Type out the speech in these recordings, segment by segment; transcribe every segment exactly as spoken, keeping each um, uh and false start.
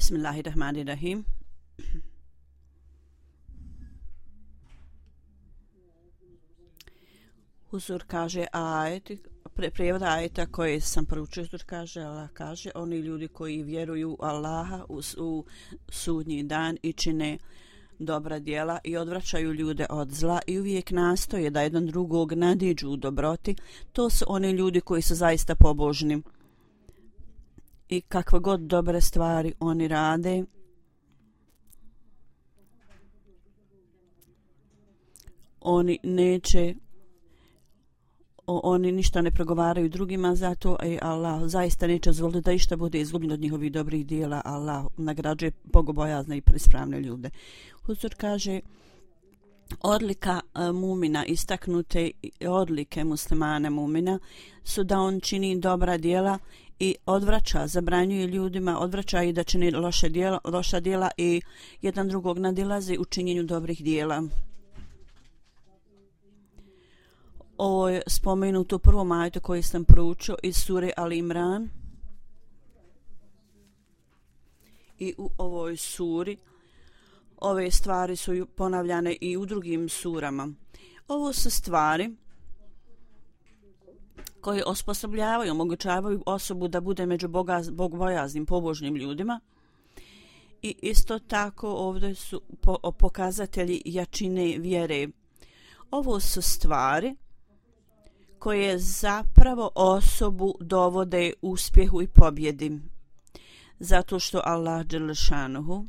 Bismillahirrahmanirrahim. Huzur kaže ajet, pre, prijevod ajeta koji sam proučio, Huzur kaže, Allah kaže, oni ljudi koji vjeruju Allaha u, u sudnji dan i čine dobra djela i odvraćaju ljude od zla i uvijek nastoje da jedan drugog nadiđu u dobroti, to su oni ljudi koji su zaista pobožni. I kakve god dobre stvari oni rade, oni neće, oni ništa ne progovaraju drugima, zato i Allah zaista neće dozvoliti da išta bude izgubljeno od njihovih dobrih dijela. Allah nagrađuje bogobojazne i ispravne ljude. Huzur kaže, odlika mumina, istaknute odlike muslimana mumina su da on čini dobra djela i odvraća, zabranjuje ljudima, odvraća i da čini loše djela, loša djela i jedan drugog nadilazi u činjenju dobrih djela. Ovo je spomenuto u prvom ajetu koji sam proučio iz sure Ali Imran. I u ovoj suri ove stvari su ponavljane i u drugim surama. Ovo su stvari koje osposobljavaju, omogućavaju osobu da bude među boga, bogbojaznim, pobožnim ljudima. I isto tako ovdje su po, pokazatelji jačine vjere. Ovo su stvari koje zapravo osobu dovode uspjehu i pobjedi. Zato što Allah dželle šanuhu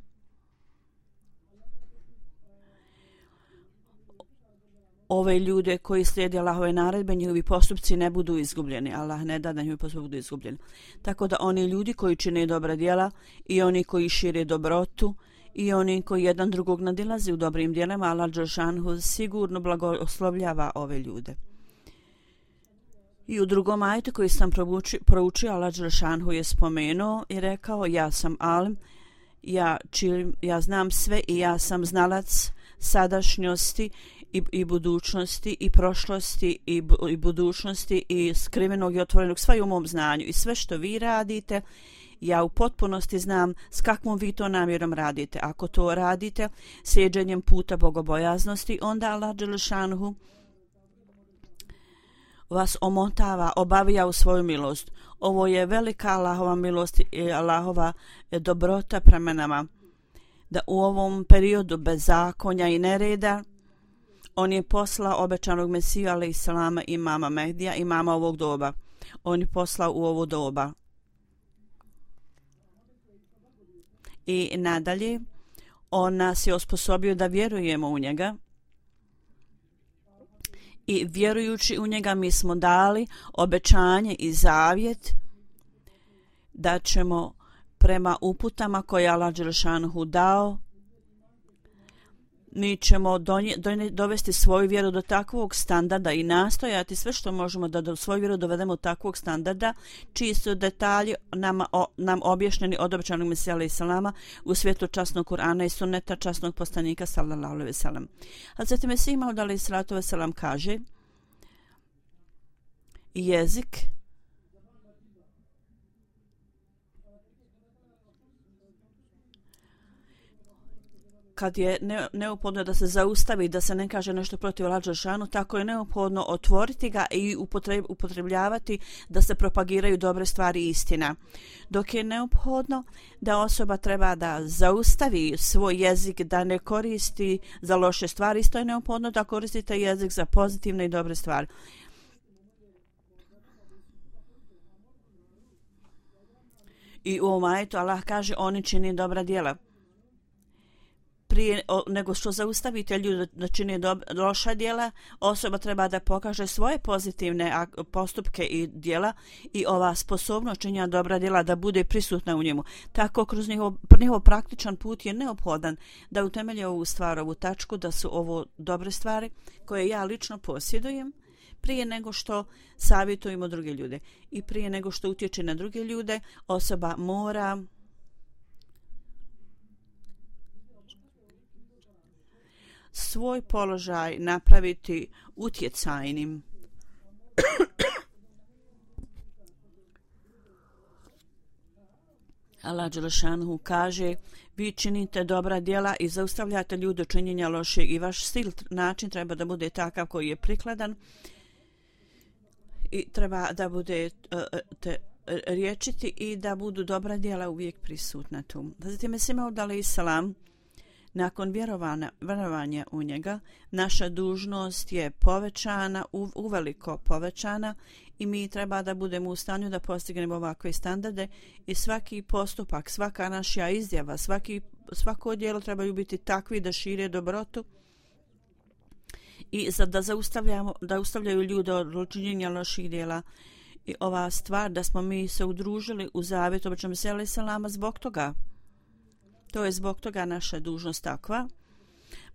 ove ljude koji slijede Allahove naredbe, njihovi postupci ne budu izgubljeni. Allah ne da da njihovi postupci budu izgubljeni. Tako da oni ljudi koji čine dobra djela i oni koji šire dobrotu i oni koji jedan drugog nadilaze u dobrim djelima, Allah dželle šanuhu sigurno blagoslovljava ove ljude. I u drugom ajetu koji sam proučio, Allah dželle šanuhu je spomenuo i rekao, ja sam alim, ja, čilim, ja znam sve i ja sam znalac sadašnjosti i, i budućnosti i prošlosti i, bu, i budućnosti i skrivenog i otvorenog, sve u mom znanju i sve što vi radite, ja u potpunosti znam s kakvom vi to namjerom radite. Ako to radite slijeđenjem puta bogobojaznosti, onda Allah dželle šanuhu vas omotava, obavija u svoju milost. Ovo je velika Allahova milost i Allahova dobrota prema nama. Da u ovom periodu bezakonja i nereda on je poslao obećanog Mesiju alejselama i imama Mehdija, imama ovog doba. On je poslao u ovo doba. I nadalje, on nas je osposobio da vjerujemo u njega. I vjerujući u njega mi smo dali obećanje i zavjet da ćemo prema uputama koje je Allah dželle šanuhu dao, mi ćemo donje, donje, dovesti svoju vjeru do takvog standarda i nastojati sve što možemo da do svoju vjeru dovedemo do takvog standarda, čiji su detalji nama, o, nam objašnjeni od obećanog Mesija alejselama u svijetu časnog Kur'ana i sunneta časnog poslanika sallallahu alejhi ve sellem. Hazreti Mesih Maud alejselatu ve selam kaže, jezik kad je neophodno da se zaustavi, da se ne kaže nešto protiv Allaha dželle šanuhu, tako je neophodno otvoriti ga i upotrebljavati da se propagiraju dobre stvari i istina. Dok je neophodno da osoba treba da zaustavi svoj jezik, da ne koristi za loše stvari, isto je neophodno da koristite jezik za pozitivne i dobre stvari. I u ovom ajetu Allah kaže, oni čini dobra djela. Prije o, nego što zaustavite ljudi da čini dob, loša djela, osoba treba da pokaže svoje pozitivne postupke i djela i ova sposobnost činjenja dobra djela da bude prisutna u njemu. Tako kroz njihov, njihov praktičan put je neophodan da utemelje ovu stvar, ovu tačku, da su ovo dobre stvari koje ja lično posjedujem prije nego što savjetujemo druge ljude. I prije nego što utječe na druge ljude, osoba mora svoj položaj napraviti utjecajnim. Allah dželešanu kaže: vi činite dobra djela i zaustavljate ljude činjenja lošeg i vaš stil, način treba da bude takav koji je prikladan i treba da bude uh, te, riječiti i da budu dobra djela uvijek prisutna tu. Zatim je Simaud alejhi selam nakon vjerovanja, vjerovanja u njega, naša dužnost je povećana, u, uveliko povećana i mi treba da budemo u stanju da postignemo ovakve standarde i svaki postupak, svaka naša izjava, svaki, svako djelo trebaju biti takvi da šire dobrotu i za da zaustavljamo, da ustavljaju ljude od činjenja loših djela. I ova stvar da smo mi se udružili u zavjet obećanom Mesija alejhi selama zbog toga. To je zbog toga naša dužnost takva.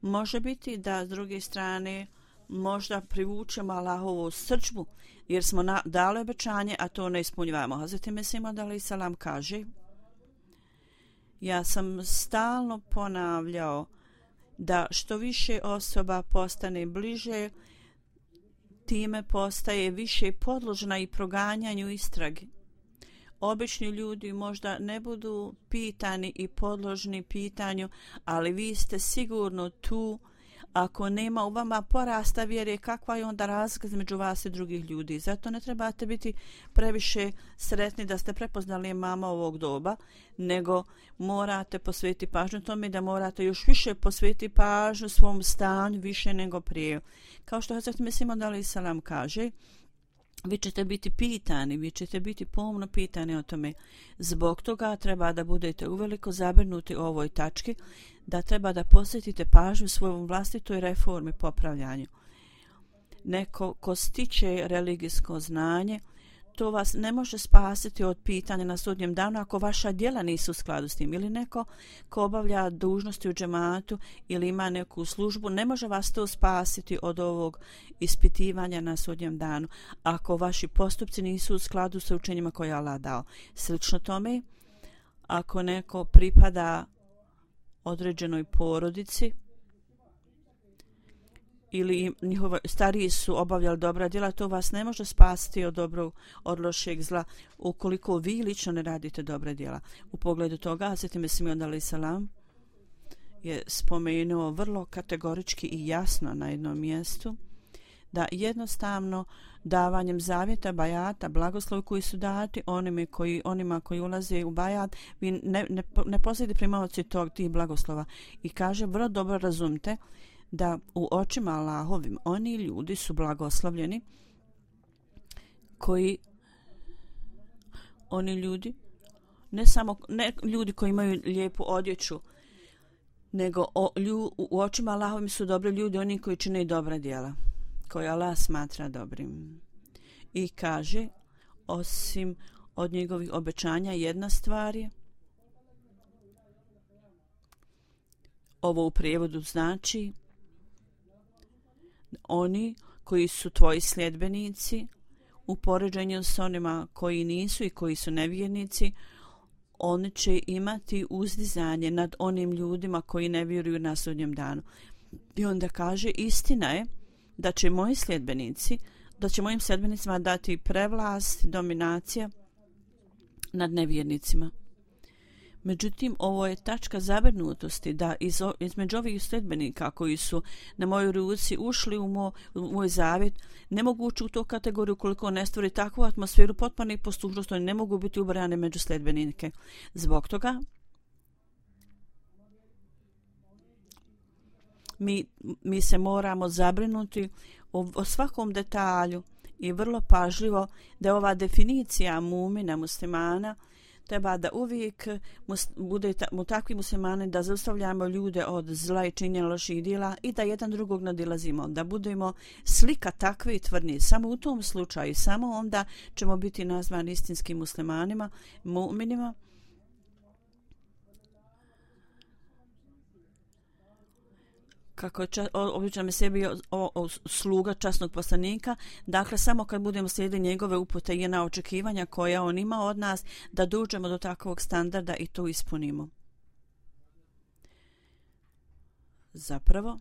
Može biti da s druge strane možda privučemo Allahovu srdžbu jer smo na, dali obećanje, a to ne ispunjavamo. Hazreti Mesija alejhi selam kaže: ja sam stalno ponavljao da što više osoba postane bliže, time postaje više podložna i proganjanju istrage. Obični ljudi možda ne budu pitani i podložni pitanju, ali vi ste sigurno tu. Ako nema u vama porasta vjere, kakva je onda razlika između vas i drugih ljudi? Zato ne trebate biti previše sretni da ste prepoznali mama ovog doba, nego morate posvetiti pažnju tome da morate još više posvetiti pažnju svom stanju više nego prije. Kao što Hazreti Mesija alejhi selam kaže: vi ćete biti pitani, vi ćete biti pomno pitani o tome. Zbog toga treba da budete uveliko zabrinuti o ovoj tački, da treba da posvetite pažnju svojom vlastitoj reformi, popravljanju. Neko ko stiče religijsko znanje, to vas ne može spasiti od pitanja na sudnjem danu ako vaša djela nisu u skladu s tim. Ili neko ko obavlja dužnosti u džematu ili ima neku službu, ne može vas to spasiti od ovog ispitivanja na sudnjem danu ako vaši postupci nisu u skladu sa učenjima koje je Allah dao. Slično tome, ako neko pripada određenoj porodici ili njihovi stariji su obavljali dobra djela, to vas ne može spasiti od dobrog, od lošeg zla ukoliko vi lično ne radite dobra djela. U pogledu toga Hazreti Mesija alejhi selam je spomenuo vrlo kategorički i jasno na jednom mjestu da jednostavno davanjem zavjeta, bajata, blagoslovi koji su dati onima koji, onima koji ulaze u bajat, vi ne, ne, ne posjedite primaoci tog tih blagoslova. I kaže, vrlo dobro razumite da u očima Allahovim oni ljudi su blagoslovljeni koji oni ljudi ne samo ne ljudi koji imaju lijepu odjeću, nego o, lju, u očima Allahovim su dobri ljudi oni koji čine dobra djela koje Allah smatra dobrim. I kaže, osim od njegovih obećanja jedna stvar je, ovo u prijevodu znači oni koji su tvoji sljedbenici u poređenju s onima koji nisu i koji su nevjernici, oni će imati uzdizanje nad onim ljudima koji ne vjeruju na sudnjem danu. I onda kaže, istina je da će moji sljedbenici, da će mojim sljedbenicima dati prevlast, dominacija nad nevjernicima. Međutim, ovo je tačka zabrinutosti da iz, između ovih sljedbenika koji su na mojoj ruci ušli u, mo, u moj zavjet, ne mogu ući u tu kategoriju koliko ne stvori takvu atmosferu potpune poslušnosti, oni ne mogu biti ubrane među sljedbenike. Zbog toga mi, mi se moramo zabrinuti o, o svakom detalju i vrlo pažljivo da ova definicija mumina, muslimana, treba da uvijek bude mu takvi muslimani da zaustavljamo ljude od zla i činjenja loših djela i da jedan drugog nadilazimo, da budemo slika takve i tvrdnje. Samo u tom slučaju, samo onda ćemo biti nazvani istinskim muslimanima, mu'minima. Kako je obično me sebi o, o, sluga časnog poslanika, dakle samo kad budemo slijedili njegove upute i na očekivanja koja on ima od nas, da dođemo do takvog standarda i to ispunimo. Zapravo,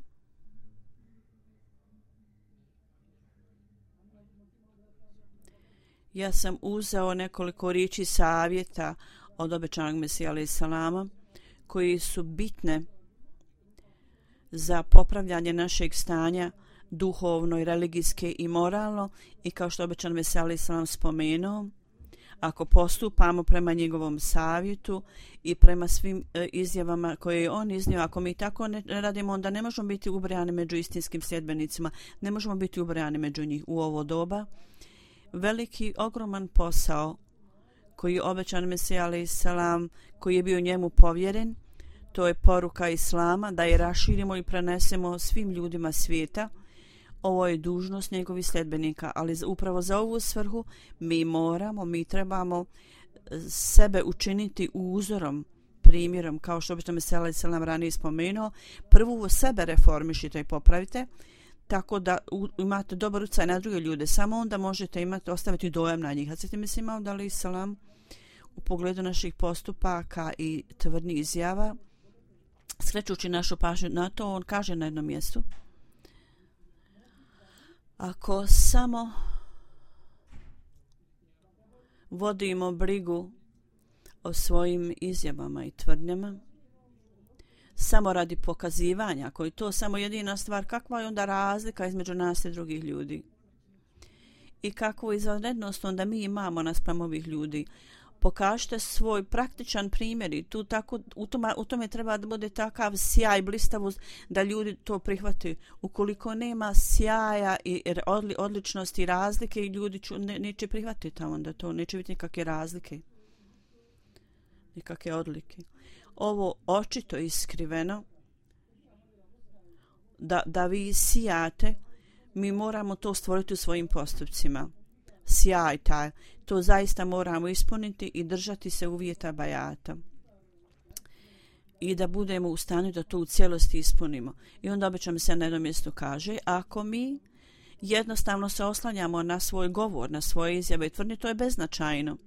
ja sam uzeo nekoliko riječi savjeta od obećanog Mesija alejhi selama, koji su bitne za popravljanje našeg stanja duhovno i religijske i moralno, i kao što obećan Mesija alejhi selam spomenuo, ako postupamo prema njegovom savjetu i prema svim e, izjavama koje je on iznio, ako mi tako ne radimo, onda ne možemo biti ubrajani među istinskim sljedbenicima, ne možemo biti ubrajani među njih u ovo doba. Veliki, ogroman posao koji je obećan Mesija alejhi selam, koji je bio njemu povjeren, to je poruka Islama, da je raširimo i prenesemo svim ljudima svijeta. Ovo je dužnost njegovih sljedbenika, ali upravo za ovu svrhu mi moramo, mi trebamo sebe učiniti uzorom, primjerom, kao što obećan Mesija alejhi selam ranije spomenuo. Prvo sebe reformišite i popravite, tako da imate dobar utjecaj na druge ljude. Samo onda možete imati, ostaviti dojam na njih. Hazreti Mesih Maud alejhi selam u pogledu naših postupaka i tvrdnih izjava, skrećući našu pažnju na to, on kaže na jednom mjestu: ako samo vodimo brigu o svojim izjavama i tvrdnjama, samo radi pokazivanja, ako je to samo jedina stvar, kakva je onda razlika između nas i drugih ljudi? I kakvu izvanrednost onda mi imamo naspram ovih ljudi? Pokažite svoj praktičan primjer i tu tako, u, tome, u tome treba da bude takav sjaj, blistavost da ljudi to prihvate. Ukoliko nema sjaja i odli, odličnosti i razlike, ljudi ću, ne, neće prihvatiti, onda to neće biti nikakve razlike, nikakve odlike. Ovo očito iskriveno, da, da vi sijate, mi moramo to stvoriti u svojim postupcima. Sjaj taj, to zaista moramo ispuniti i držati se uvjeta bajata. I da budemo u stanju da to u cijelosti ispunimo. I onda obećam se na jednom mjestu kaže, ako mi jednostavno se oslanjamo na svoj govor, na svoje izjave i tvrdnje, to je beznačajno.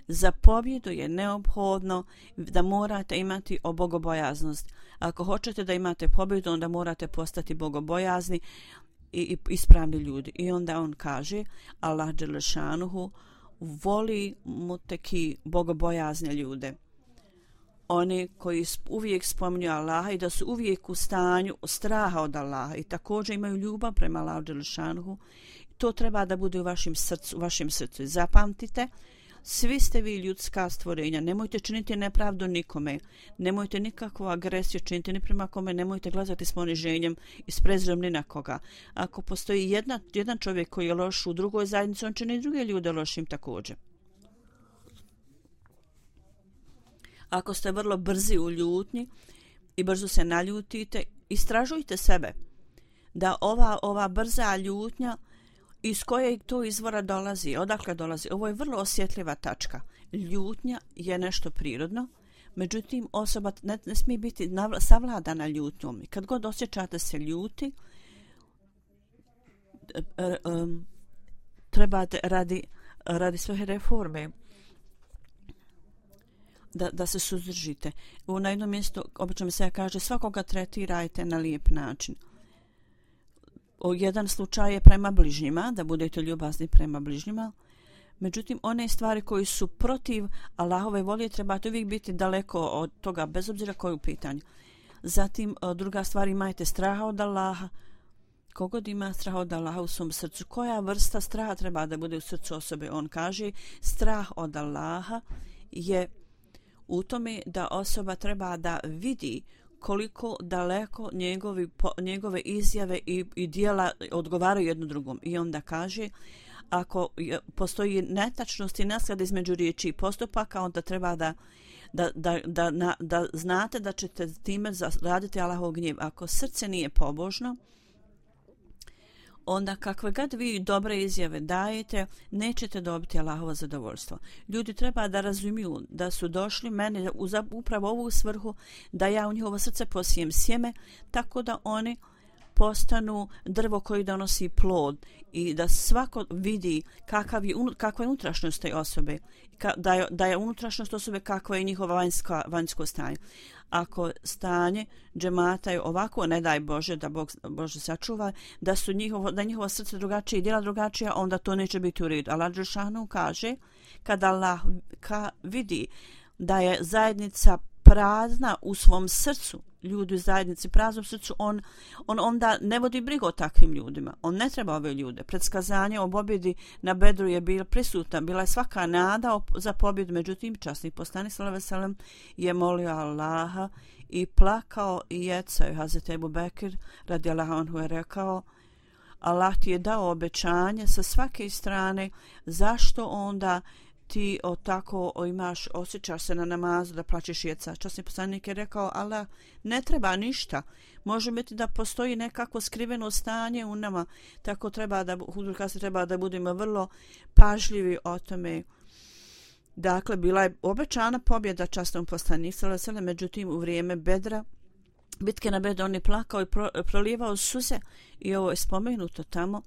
Za pobjedu je neophodno da morate imati bogobojaznost. Ako hoćete da imate pobjedu, onda morate postati bogobojazni i ispravni ljudi. I onda on kaže, Allah dželešanuhu voli muteki, bogobojazne ljude. Oni koji uvijek spominju Allaha i da su uvijek u stanju straha od Allaha i također imaju ljubav prema Allahu dželešanuhu. To treba da bude u vašem srcu, u vašem srcu. Zapamtite, svi ste vi ljudska stvorenja, nemojte činiti nepravdu nikome, nemojte nikakvu agresiju činiti ni prema kome, nemojte gledati s poniženjem i s prezirom ni na koga. Ako postoji jedna, jedan čovjek koji je loš u drugoj zajednici, on čini i druge ljude lošim također. Ako ste vrlo brzi u ljutnji i brzo se naljutite, istražujte sebe da ova, ova brza ljutnja iz kojeg to izvora dolazi, odakle dolazi. Ovo je vrlo osjetljiva tačka. Ljutnja je nešto prirodno, međutim osoba ne, ne smije biti navla, savladana ljutnjom. Kad god osjećate se ljuti, trebate radi, radi svoje reforme da, da se suzdržite. U na jednom mjestu obično se kaže svakoga tretirajte na lijep način. O jedan slučaj je prema bližnjima, da budete ljubazni prema bližnjima. Međutim, one stvari koji su protiv Allahove volje trebate uvijek biti daleko od toga, bez obzira koje u pitanju. Zatim, druga stvar, imajte straha od Allaha. Kogod ima straha od Allaha u svom srcu, koja vrsta straha treba da bude u srcu osobe? On kaže, strah od Allaha je u tome da osoba treba da vidi koliko daleko njegovi, po, njegove izjave i, i dijela odgovaraju jedno drugom. I onda kaže, ako postoji netačnost i nesklad između riječi i postupaka, onda treba da, da, da, da, da, da znate da ćete time raditi Allahov gnjev. Ako srce nije pobožno, onda kakve god vi dobre izjave dajete, nećete dobiti Allahovo zadovoljstvo. Ljudi treba da razumiju da su došli meni za upravo ovu svrhu, da ja u njihovo srce posijem sjeme, tako da oni postanu drvo koji donosi plod i da svako vidi kakav je, kakva je unutrašnjost te osobe, da je, da je unutrašnjost osobe kakva je njihova vanjska, vanjsko stanje. Ako stanje džemata je ovako, ne daj Bože da Bog Bože sačuva, da su njihovo, da njihovo srce drugačije i djela drugačija, onda to neće biti u redu. Allah dželešanu kaže, kada Allah ka vidi da je zajednica prazna u svom srcu, ljudi u zajednici praznom srcu, on, on onda ne vodi brigu o takvim ljudima. On ne treba ove ljude. Predskazanje o pobjedi na Bedru je bila prisutna, bila je svaka nada za pobjedu, međutim časni poslanik sallallahu alejhi ve sellem je molio Allaha i plakao i jecao. Hazreti Ebu Bekir radijallahu anhu je rekao: Allah ti je dao obećanje sa svake strane, zašto onda ti o tako o imaš, osjećaš se na namazu da plaćeš jeca? Časni poslanik je rekao: Allah ne treba ništa. Može biti da postoji nekako skriveno stanje u nama, tako treba da, treba da budemo vrlo pažljivi o tome. Dakle, bila je obećana pobjeda časnom poslaniku sallallahu alejhi ve sellem, međutim u vrijeme Bedra, bitke na Bedru, on je plakao i pro, prolijevao suze, i ovo je spomenuto tamo,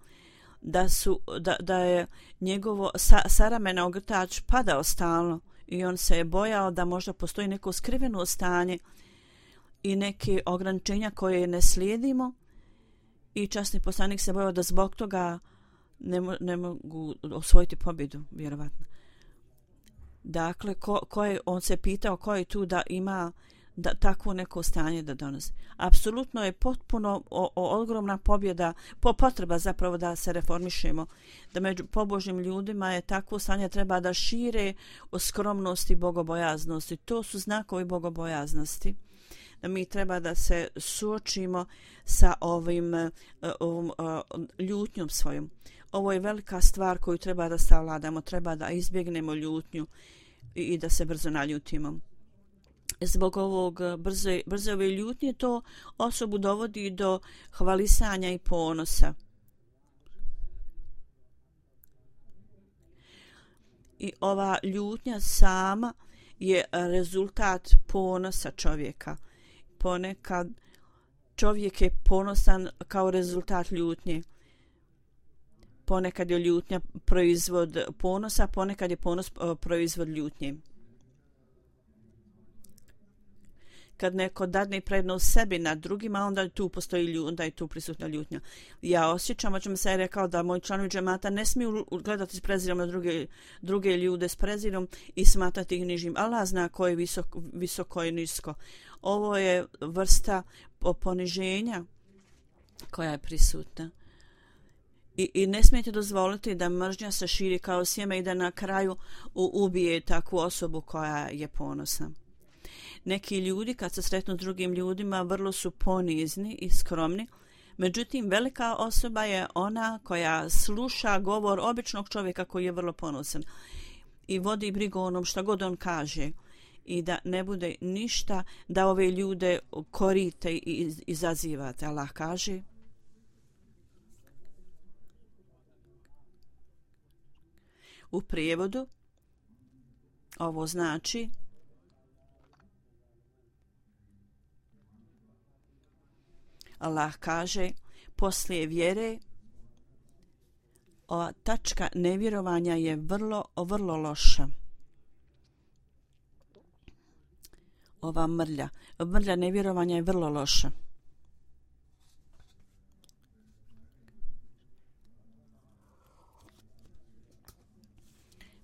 da su da, da je njegovo sa, saramena ogrtač padao stalno i on se je bojao da možda postoji neko skriveno stanje i neke ograničenja koje ne slijedimo, i časni poslanik se bojao da zbog toga ne, mo, ne mogu osvojiti pobjedu, vjerovatno. Dakle, ko, ko je, on se pitao ko je tu da ima da takvo neko stanje da donosi. Apsolutno je potpuno o, o, ogromna pobjeda, po potreba zapravo da se reformišemo, da među pobožnim ljudima je takvo stanje, treba da šire o skromnosti i bogobojaznosti. To su znakovi bogobojaznosti. Da mi treba da se suočimo sa ovim ovom, ljutnjom svojom. Ovo je velika stvar koju treba da savladamo, treba da izbjegnemo ljutnju i, i da se brzo naljutimo. Zbog ovog brze, brze ove ljutnje to osobu dovodi do hvalisanja i ponosa. I ova ljutnja sama je rezultat ponosa čovjeka. Ponekad čovjek je ponosan kao rezultat ljutnje. Ponekad je ljutnja proizvod ponosa, ponekad je ponos proizvod ljutnje. Kad neko dadne prednost sebi nad drugima, onda tu postoji ljutnja, onda je tu prisutna ljutnja. Ja osjećam, o čemu se je rekao, da moji članovi džemata ne smiju gledati s prezirom na druge, druge ljude s prezirom i smatrati ih nižim. Allah zna ko je visoko, visoko i nisko. Ovo je vrsta poniženja koja je prisutna. I, I ne smijete dozvoliti da mržnja se širi kao sjeme i da na kraju ubije takvu osobu koja je ponosna. Neki ljudi kad se sretnu s drugim ljudima vrlo su ponizni i skromni, međutim velika osoba je ona koja sluša govor običnog čovjeka koji je vrlo ponosan i vodi brigu o onom šta god on kaže, i da ne bude ništa da ove ljude korite i izazivate. Allah kaže: u prijevodu ovo znači Allah kaže, poslije vjere ova tačka nevjerovanja je vrlo, vrlo loša. Ova mrlja, mrlja nevjerovanja je vrlo loša.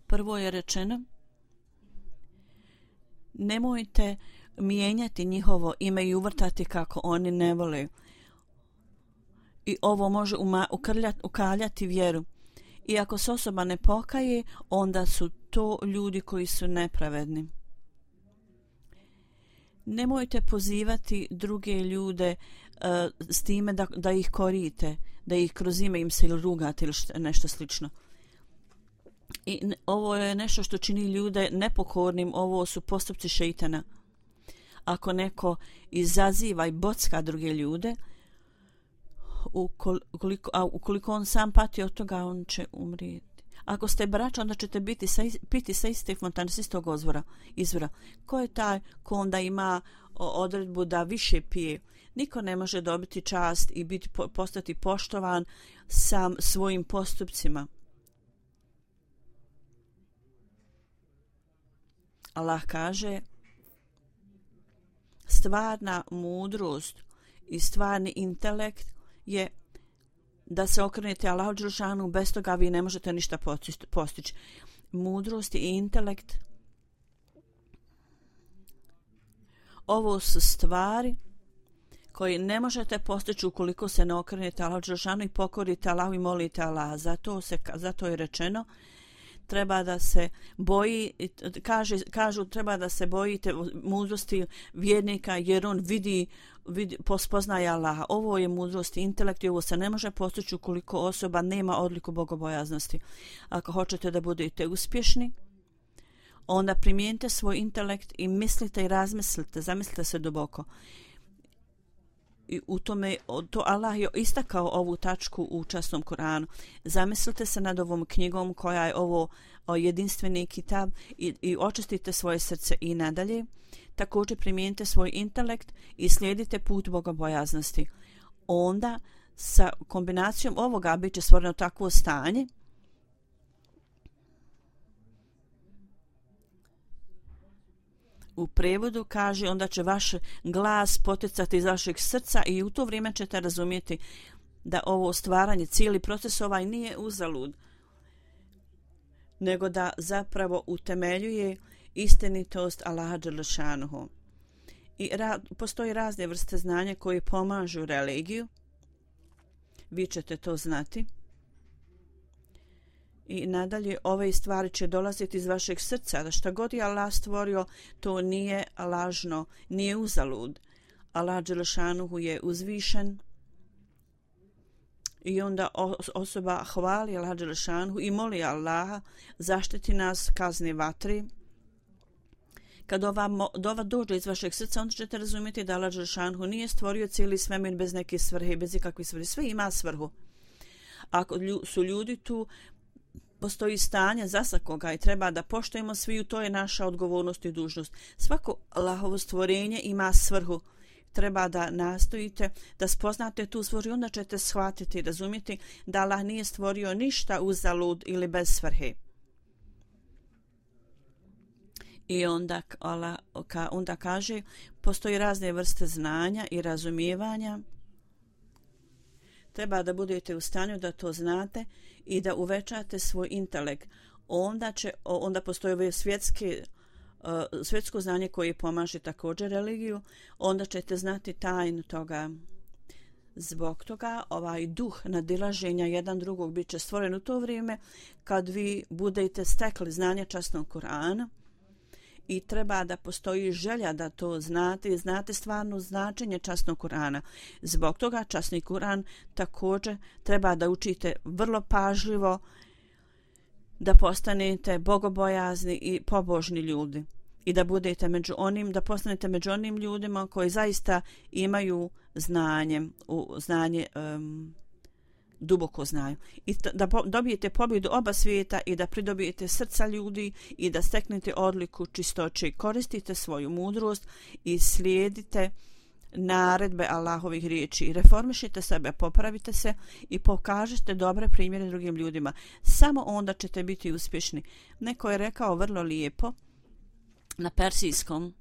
Prvo je rečeno: nemojte mijenjati njihovo ime i uvrtati kako oni ne vole. I ovo može ukaljati vjeru. I ako se osoba ne pokaje, onda su to ljudi koji su nepravedni. Nemojte pozivati druge ljude uh, s time da, da ih korite, da ih kroz ime im se ili rugate ili što, nešto slično. I ovo je nešto što čini ljude nepokornim, ovo su postupci šeitana. Ako neko izaziva i bocka druge ljude, ukoliko, a ukoliko on sam pati od toga, on će umrijeti. Ako ste braća, onda ćete biti sa, piti sa iste fontane, s istog izvora, izvora. Ko je taj ko onda ima odredbu da više pije? Niko ne može dobiti čast i biti, postati poštovan sam svojim postupcima. Allah kaže: stvarna mudrost i stvarni intelekt je da se okrenete Allahu dželešanu, bez toga vi ne možete ništa postići. mudrost i intelekt. Ovo su stvari koje ne možete postići ukoliko se ne okrenete Allahu dželešanu i pokorite Allahu i molite Allaha. Zato se zato je rečeno treba da se boji, kaže, kažu treba da se bojite mudrosti vjernika jer on vidi, vidi pospoznaje Allaha. Ovo je mudrost i intelekt i ovo se ne može postići ukoliko osoba nema odliku bogobojaznosti. Ako hoćete da budete uspješni, onda primijenite svoj intelekt i mislite i razmislite, zamislite se duboko. I u tome, to Allah je istakao ovu tačku u časnom Kur'anu. Zamislite se nad ovom knjigom koja je ovo jedinstveni kitab i, i očistite svoje srce i nadalje. Također primijenite svoj intelekt i slijedite put bogobojaznosti. Onda sa kombinacijom ovoga bit će stvoreno takvo stanje u prevodu kaže onda će vaš glas poticati iz vašeg srca i u to vrijeme ćete razumjeti da ovo stvaranje, cijeli proces ovaj nije uzalud, nego da zapravo utemeljuje istinitost Allaha dželešanuhu. I ra, postoji razne vrste znanja koje pomažu religiju. Vi ćete to znati. I nadalje ove stvari će dolaziti iz vašeg srca, da šta god je Allah stvorio, to nije lažno, nije uzalud. Allah dželešanuhu je uzvišen i onda osoba hvali Allah dželešanuhu i moli Allaha zaštiti nas kazne vatri. Kad ova dova dođe iz vašeg srca, onda ćete razumjeti da Allah dželešanuhu nije stvorio cijeli svemir bez neke svrhe, bez ikakve svrhe. Sve ima svrhu. Ako su ljudi tu, postoji stanje za svakoga i treba da poštujemo svi, to je naša odgovornost i dužnost. Svako Allahovo stvorenje ima svrhu. Treba da nastojite da spoznate tu svrhu, onda ćete shvatiti i razumjeti da Allah nije stvorio ništa uzalud ili bez svrhe. I onda, Allah, onda kaže, postoji razne vrste znanja i razumijevanja. Treba da budete u stanju da to znate i da uvećate svoj intelekt. Onda, će, onda postoji ove svjetske, uh, svjetsko znanje koje pomaže također religiju. Onda ćete znati tajnu toga. Zbog toga ovaj duh nadilaženja jedan drugog bit će stvoren u to vrijeme kad vi budete stekli znanje časnog Kur'ana. I treba da postoji želja da to znate i znate stvarno značenje časnog Kur'ana. Zbog toga časni Kur'an također treba da učite vrlo pažljivo, da postanete bogobojazni i pobožni ljudi i da budete među onim, da postanete među onim ljudima koji zaista imaju znanje, u znanje um, duboko znaju. I da dobijete pobjedu oba svijeta i da pridobijete srca ljudi i da steknete odliku čistoće. Koristite svoju mudrost i slijedite naredbe Allahovih riječi. Reformišite sebe, popravite se i pokažete dobre primjere drugim ljudima. Samo onda ćete biti uspješni. Neko je rekao vrlo lijepo na persijskom: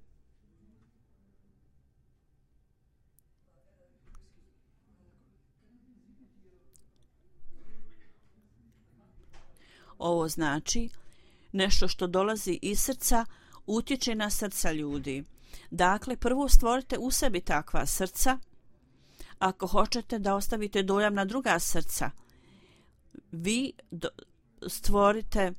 ovo znači nešto što dolazi iz srca utječe na srca ljudi. Dakle, prvo stvorite u sebi takva srca. Ako hoćete da ostavite dojam na druga srca, vi stvorite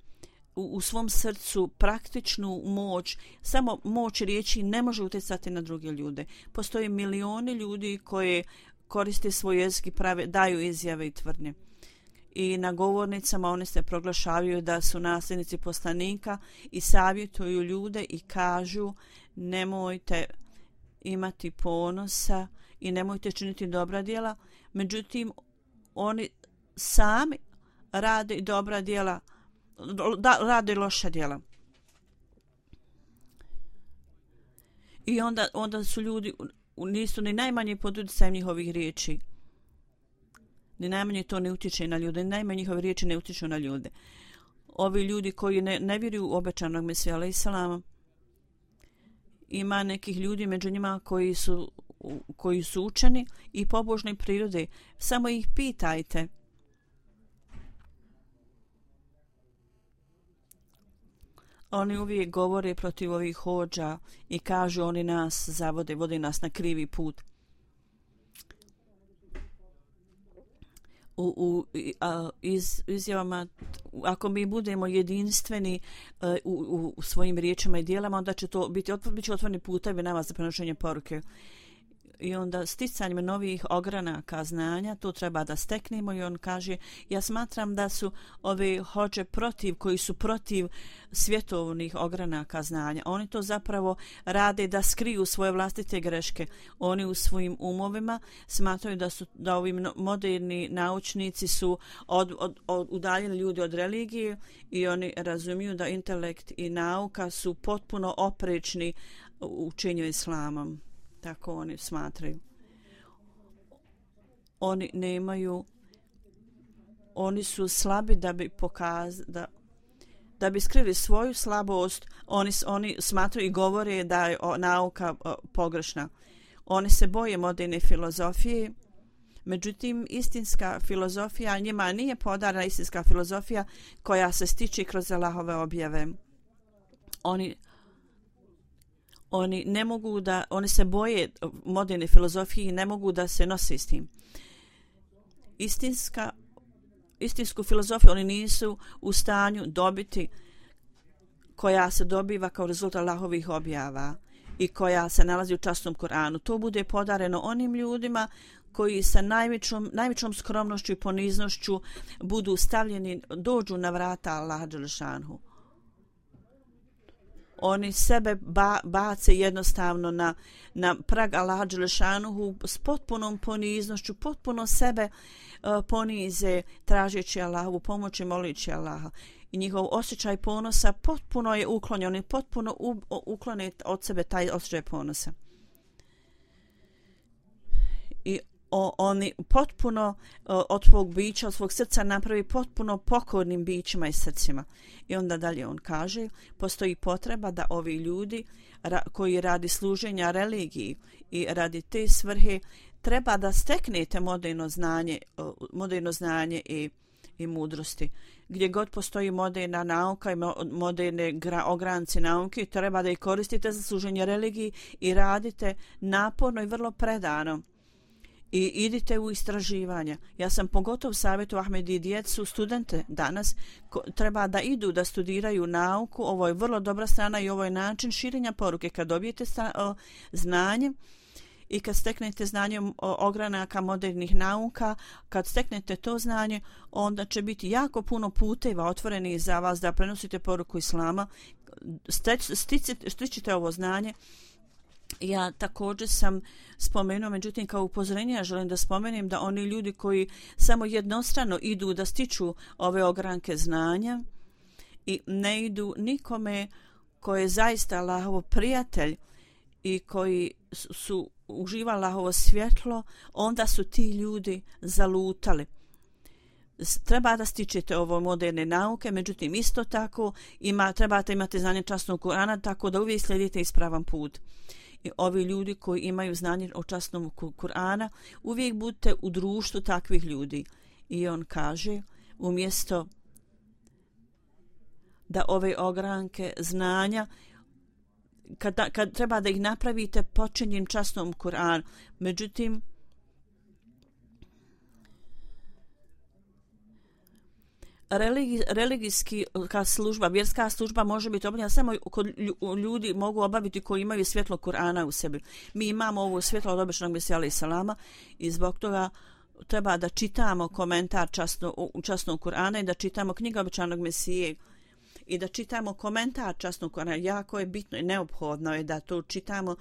u, u svom srcu praktičnu moć. Samo moć riječi ne može utjecati na druge ljude. Postoje milioni ljudi koji koriste svoj jezik i prave, daju izjave i tvrdnje. I na govornicama oni se proglašavaju da su nasljednici poslanika i savjetuju ljude i kažu nemojte imati ponosa i nemojte činiti dobra djela. Međutim, oni sami rade dobra djela, da, rade loša djela. I onda, onda su ljudi, nisu ni najmanje pod utjecajem njihovih riječi. Ni najmanje to ne utječe na ljude, ni najmanje njihove riječi ne utječu na ljude. Ovi ljudi koji ne, ne vjeruju u obećanog Mesija alejhi selama, ima nekih ljudi među njima koji su, koji su učeni i pobožne prirode. Samo ih pitajte Oni uvijek govore protiv ovih hodža i kažu oni nas zavode, vode nas na krivi put. U, u a, iz, izjavama, ako mi budemo jedinstveni a, u, u svojim riječima i dijelama, onda će to biti, bit će otvoreni putevi nama za prenošenje poruke. I onda sticanjem novih ogranaka znanja to treba da steknemo. I on kaže, ja smatram da su ove hodže protiv, koji su protiv svjetovnih ogranaka znanja, oni to zapravo rade da skriju svoje vlastite greške. Oni u svojim umovima smatraju da su da ovi moderni naučnici su od, od, od, udaljeni ljudi od religije i oni razumiju da intelekt i nauka su potpuno oprečni učenju islamom. Tako oni smatraju. Oni nemaju, oni su slabi da bi pokazali, da, da bi skrili svoju slabost, oni, oni smatraju i govore da je nauka pogrešna. Oni se boje moderne filozofije, međutim istinska filozofija, njima nije podarana istinska filozofija koja se stiče kroz Allahove objave. Oni Oni ne mogu da, oni se boje moderne filozofije i ne mogu da se nose s tim. Istinska, istinsku filozofiju oni nisu u stanju dobiti, koja se dobiva kao rezultat Allahovih objava i koja se nalazi u časnom Kur'anu. To bude podareno onim ljudima koji sa najvećom, najvećom skromnošću i poniznošću budu stavljeni, dođu na vrata Allaha dželešanhu. Oni sebe ba, bace jednostavno na, na prag Allaha dželešanuhu s potpunom poniznošću, potpuno sebe uh, ponize tražeći Allahovu pomoć i molići Allaha. I njihov osjećaj ponosa potpuno je uklonjen, oni potpuno u, uklone od sebe taj osjećaj ponosa. I o, oni potpuno o, od svog bića, od svog srca napravi potpuno pokornim bićima i srcima. I onda dalje on kaže, postoji potreba da ovi ljudi ra, koji radi služenja religiji i radi te svrhe, treba da steknete moderno znanje, moderno znanje i, i mudrosti. Gdje god postoji moderna nauka i moderne gra, ogranci nauke, treba da ih koristite za služenje religiji i radite naporno i vrlo predano. I idite u istraživanja. Ja sam pogotovo savjetu Ahmedi djecu, studente danas, ko, treba da idu da studiraju nauku. Ovo je vrlo dobra strana i ovo je način širenja poruke. Kad dobijete sta, o, znanje i kad steknete znanje o ogranaka modernih nauka, kad steknete to znanje, onda će biti jako puno puteva otvorenih za vas da prenosite poruku Islama. Stičite ovo znanje. Ja također sam spomenuo, međutim kao upozorenje ja želim da spomenem da oni ljudi koji samo jednostrano idu da stiču ove ogranke znanja i ne idu nikome koji je zaista Allahov prijatelj i koji su uživa Allahovo svjetlo, onda su ti ljudi zalutali. Treba da stičete ovo moderne nauke, međutim isto tako ima, trebate imati znanje časnog Kur'ana, tako da uvijek slijedite ispravan put. I ovi ljudi koji imaju znanje o časnom Kur'ana, uvijek budite u društvu takvih ljudi. I on kaže, umjesto da ove ogranke znanja, kad, kad treba da ih napravite počinjem časnom Kur'anu, međutim, Religi, religijski služba, vjerska služba može biti obavljena samo kod ljudi mogu obaviti koji imaju svjetlo Kur'ana u sebi. Mi imamo ovo svjetlo od običnog Mesija alejhi selama i zbog toga treba da čitamo komentar časno, časnog Kur'ana i da čitamo knjigu običanog Mesije i da čitamo komentar časnog Kur'ana. Jako je bitno i neophodno je da to čitamo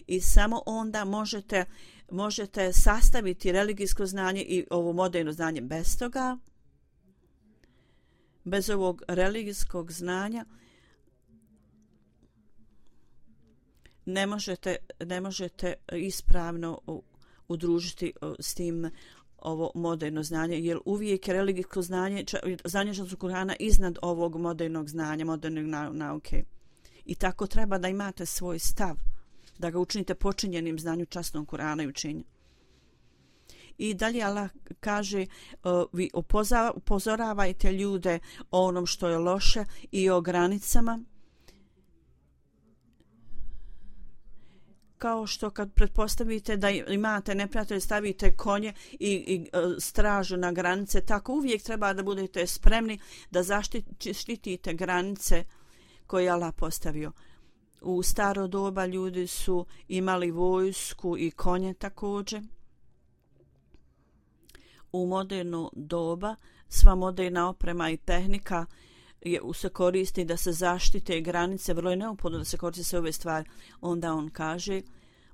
i samo onda možete, možete sastaviti religijsko znanje i ovo moderno znanje. Bez toga, bez ovog religijskog znanja ne možete, ne možete ispravno udružiti s tim ovo moderno znanje, jer uvijek je religijsko znanje, znanje časnog Kur'ana iznad ovog modernog znanja, modernog nauke. I tako treba da imate svoj stav, da ga učinite počinjenim znanju časnog Kur'ana i učenja. I dalje Allah kaže, uh, vi upozoravajte ljude o onom što je loše i o granicama kao što kad pretpostavite da imate neprijatelje, stavite konje i, i stražu na granice, tako uvijek treba da budete spremni da zaštitite granice koje je Allah postavio. U staro doba ljudi su imali vojsku i konje također. U moderno doba sva moderna oprema i tehnika je, se koristi da se zaštite granice, vrlo je neophodno da se koriste sve ove stvari. Onda on kaže,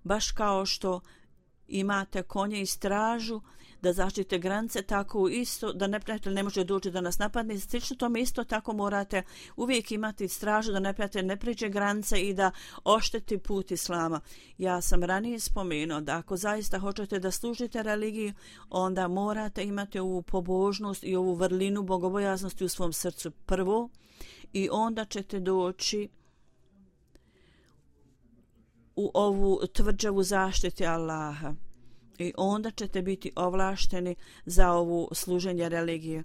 baš kao što imate konje i stražu da zaštite granice, tako isto da neprijatelj ne može doći da nas napadne. Slično tome isto tako morate uvijek imati stražu da neprijatelj ne priđe granice i da ošteti put Islama. Ja sam ranije spomenuo da ako zaista hoćete da služite religiji, onda morate imati ovu pobožnost i ovu vrlinu bogobojaznosti u svom srcu prvo i onda ćete doći u ovu tvrđavu zaštite Allaha. I onda ćete biti ovlašteni za ovu služenje religije.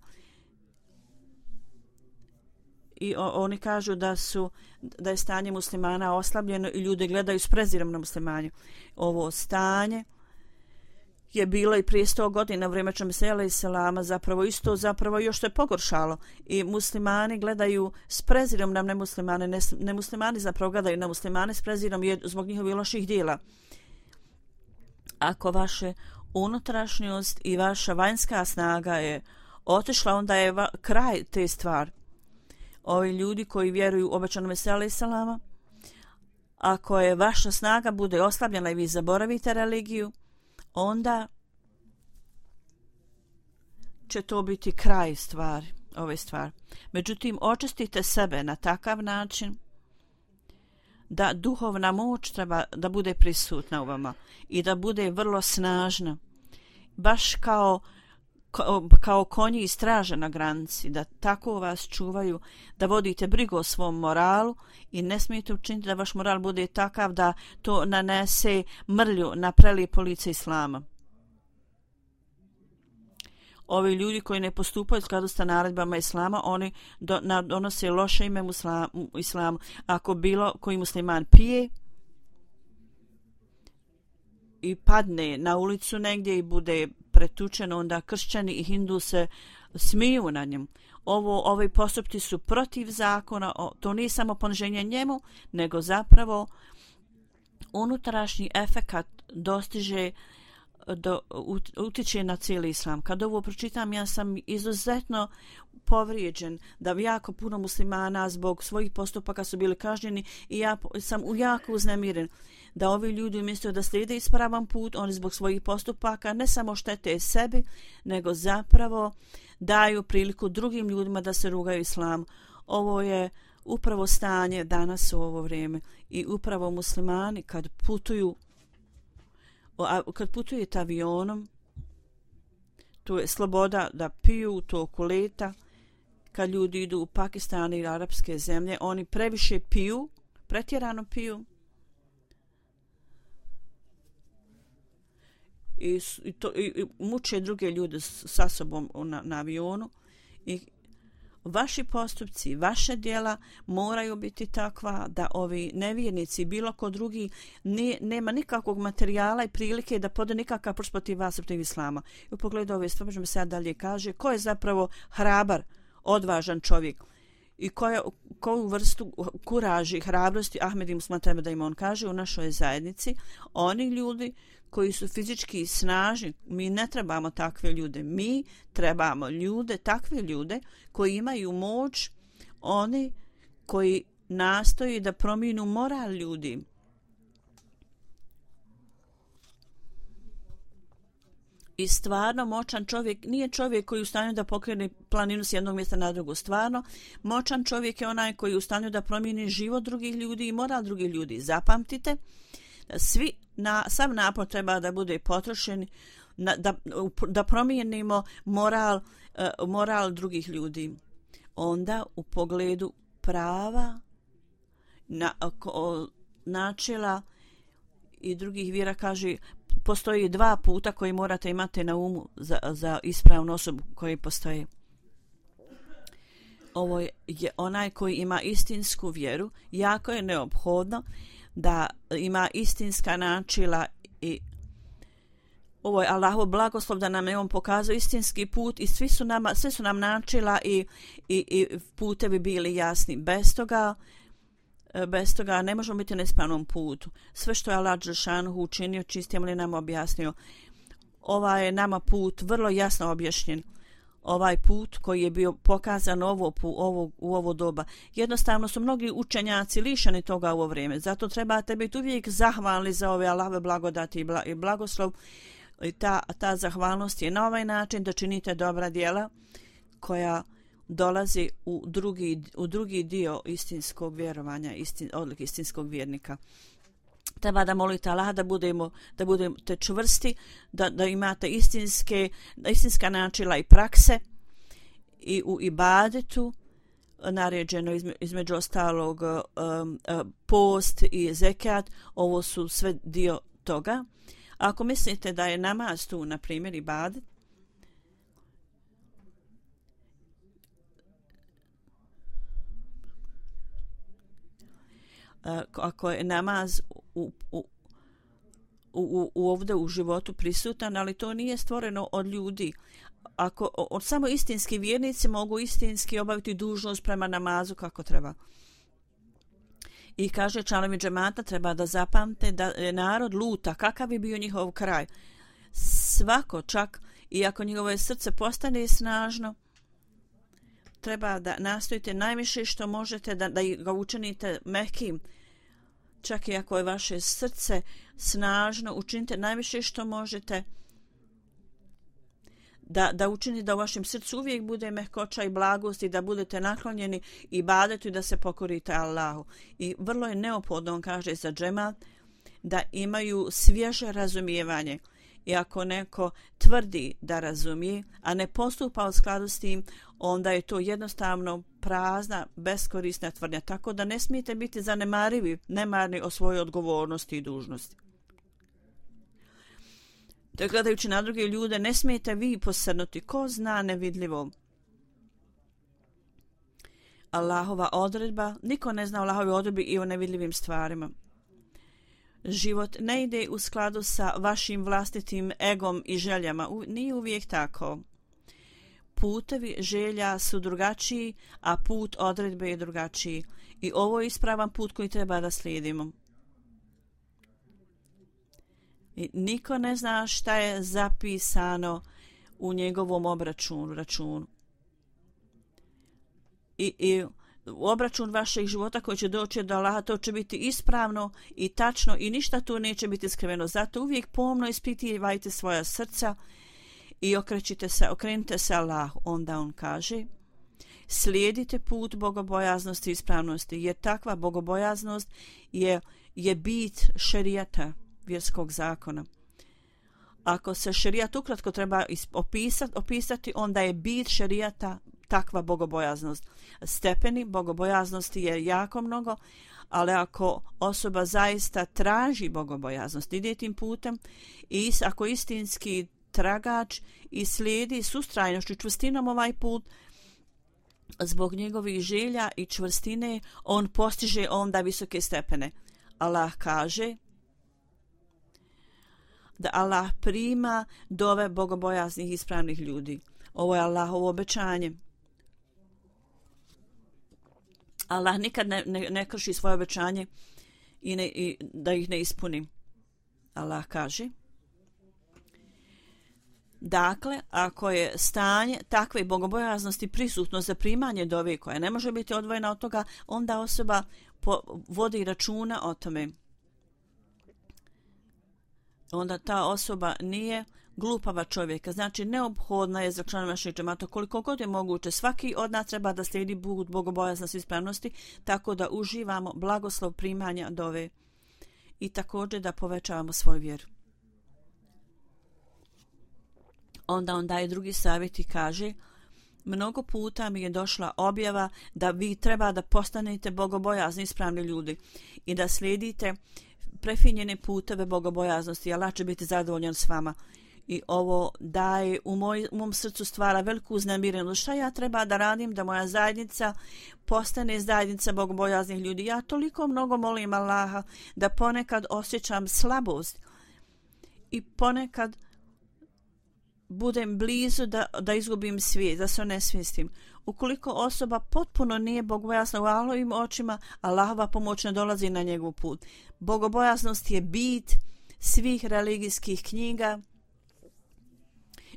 I o, oni kažu da su da je stanje muslimana oslabljeno i ljudi gledaju s prezirom na muslimanje. Ovo stanje je bilo i prije sto godina u vrijeme Mesija alejhi selama, zapravo isto zapravo još to je pogoršalo i muslimani gledaju s prezirom na nemuslimane, ne, nemuslimani zapravo gledaju na muslimane s prezirom je zbog njihovih loših djela. Ako vaše unutrašnjost i vaša vanjska snaga je otišla, onda je va, kraj te stvari. Ovi ljudi koji vjeruju u obećanog Mesija alejhi selama, ako je vaša snaga bude oslabljena i vi zaboravite religiju, onda će to biti kraj stvari, ove stvari. Međutim, očistite sebe na takav način da duhovna moć treba da bude prisutna u vama i da bude vrlo snažna, baš kao, kao, kao konji i straže na granici, da tako vas čuvaju, da vodite brigu o svom moralu i ne smijete učiniti da vaš moral bude takav da to nanese mrlju na prelijepo lice Islama. Ovi ljudi koji ne postupaju u skladu sa naredbama Islama, oni do, na, donose loše ime musla, Islamu. Ako bilo koji musliman pije i padne na ulicu negdje i bude pretučen, onda kršćani i hindu se smiju na njemu. Ovo, ovi postupci su protiv zakona, to nije samo poniženje njemu, nego zapravo unutrašnji efekat dostiže do, utiče na cijeli islam. Kad ovo pročitam, ja sam izuzetno povrijeđen da jako puno muslimana zbog svojih postupaka su bili kažnjeni i ja sam jako uznemiren da ovi ljudi umjesto da slijede ispravan put, oni zbog svojih postupaka ne samo štete sebi, nego zapravo daju priliku drugim ljudima da se rugaju islamu. Ovo je upravo stanje danas u ovo vrijeme i upravo muslimani kad putuju kad putujete avionom, tu je sloboda da piju u toku leta. Kad ljudi idu u Pakistan i arapske zemlje, oni previše piju, pretjerano piju i, i, to, i, i muče druge ljude sa sobom na, na avionu i vaši postupci, vaše djela moraju biti takva da ovi nevjernici, bilo ko drugi, ne, nema nikakvog materijala i prilike da pode nikakav prst protiv vas, protiv islama. I u pogledu ove stvari možemo sad dalje kaže ko je zapravo hrabar, odvažan čovjek i koja, koju vrstu kuraži i hrabrosti Ahmed i Musman treba da im on kaže u našoj zajednici. Oni ljudi koji su fizički snažni, mi ne trebamo takve ljude, mi trebamo ljude, takve ljude koji imaju moć, oni koji nastoji da promijenu moral ljudi. I stvarno moćan čovjek nije čovjek koji je u stanju da pokrene planinu s jednog mjesta na drugo. Stvarno moćan čovjek je onaj koji je u stanju da promijeni život drugih ljudi i moral drugih ljudi. Zapamtite, svi na, sav napor treba da bude potrošen na, da, da promijenimo moral, uh, moral drugih ljudi. Onda u pogledu prava, na, o, načela i drugih vjera kaže postoji dva puta koji morate imati na umu za, za ispravnu osobu koji postoje. Ovo je onaj koji ima istinsku vjeru, jako je neophodno da ima istinska načela i ovo je Allahov blagoslov da nam je on pokazao istinski put i svi su nama, sve su nam načela i, i, i putevi bili jasni. Bez toga, bez toga ne možemo biti na ispravnom putu. Sve što je Allah dželešanu učinio, čistim li nam objasnio. Ovaj je nama put vrlo jasno objašnjen. Ovaj put koji je bio pokazan ovo, ovo, u ovo doba. Jednostavno su mnogi učenjaci lišeni toga u ovo vrijeme. Zato trebate biti uvijek zahvalni za ove Allahove blagodati i blagoslov. I ta, ta zahvalnost je na ovaj način da činite dobra djela koja dolazi u drugi, u drugi dio istinskog vjerovanja, istin, odlik istinskog vjernika. Treba da molite Allah da budemo, da budete čvrsti, da, da imate istinske, istinska načela i prakse i u ibadetu naređeno izme, između ostalog um, post i zekat. Ovo su sve dio toga. Ako mislite da je namaz tu, na primjer, ibadet, ako je namaz u, u, u, u ovdje u životu prisutan, ali to nije stvoreno od ljudi. Ako od samo istinski vjernici mogu istinski obaviti dužnost prema namazu kako treba. I kaže članovi džemata treba da zapamte da je narod luta, kakav bi bio njihov kraj. Svako čak, iako njegovo srce postane snažno, treba da nastojite najviše što možete da, da ga učinite mehkim. Čak i ako je vaše srce snažno, učinite najviše što možete da, da učinite da u vašem srcu uvijek bude mehkoća i blagost i da budete naklonjeni ibadetu i da se pokorite Allahu. I vrlo je neophodno, on kaže za džemat, da imaju svježe razumijevanje. I ako neko tvrdi da razumije, a ne postupa u skladu s tim, onda je to jednostavno prazna, beskorisna tvrdnja. Tako da ne smijete biti zanemarivi, nemarni o svojoj odgovornosti i dužnosti. Da gledajući na druge ljude, ne smijete vi posrnuti. Ko zna nevidljivo? Allahova odredba, niko ne zna o Allahovi odredbi i o nevidljivim stvarima. Život ne ide u skladu sa vašim vlastitim egom i željama. U, nije uvijek tako. Putevi želja su drugačiji, a put odredbe je drugačiji. I ovo je ispravan put koji treba da slijedimo. I niko ne zna šta je zapisano u njegovom obračunu, računu. I, i obračun vašeg života koji će doći do Allaha, to će biti ispravno i tačno i ništa tu neće biti skriveno. Zato uvijek pomno ispitivajte svoja srca i okrećite se, okrenite se Allahu. Onda on kaže, slijedite put bogobojaznosti i ispravnosti, jer takva bogobojaznost je, je bit šerijata, vjerskog zakona. Ako se šerijat ukratko treba opisati, opisati, onda je bit šerijata takva bogobojaznost. Stepeni bogobojaznosti je jako mnogo, ali ako osoba zaista traži bogobojaznost, ide tim putem i ako istinski tragač i slijedi s ustrajnošću, čvrstinom ovaj put, zbog njegovih želja i čvrstine, on postiže onda visoke stepene. Allah kaže da Allah prima dove bogobojaznih i ispravnih ljudi. Ovo je Allahovo obećanje. Allah nikad ne, ne, ne krši svoje obećanje i, ne, i da ih ne ispuni. Allah kaže, dakle, ako je stanje takve bogobojaznosti prisutno za primanje dove koja ne može biti odvojena od toga, onda osoba po, vodi računa o tome. Onda ta osoba nije glupava čovjeka. Znači, neophodna je za članove našeg džemata koliko god je moguće. Svaki od nas treba da slijedi put bogobojaznosti i ispravnosti, tako da uživamo blagoslov primanja dove i također da povećavamo svoju vjeru. Onda on daje drugi savjet i kaže, mnogo puta mi je došla objava da vi treba da postanete bogobojazni ispravni ljudi i da slijedite prefinjene puteve bogobojaznosti. Allah će biti zadovoljan s vama. I ovo daje u, moj, u mom srcu stvara veliku uznemirenost. Šta ja treba da radim da moja zajednica postane zajednica bogobojaznih ljudi? Ja toliko mnogo molim Allaha da ponekad osjećam slabost i ponekad budem blizu da, da izgubim svijest, da se onesvijestim. Ukoliko osoba potpuno nije bogobojazna u Allahovim očima, Allahova pomoć ne dolazi na njegov put. Bogobojaznost je bit svih religijskih knjiga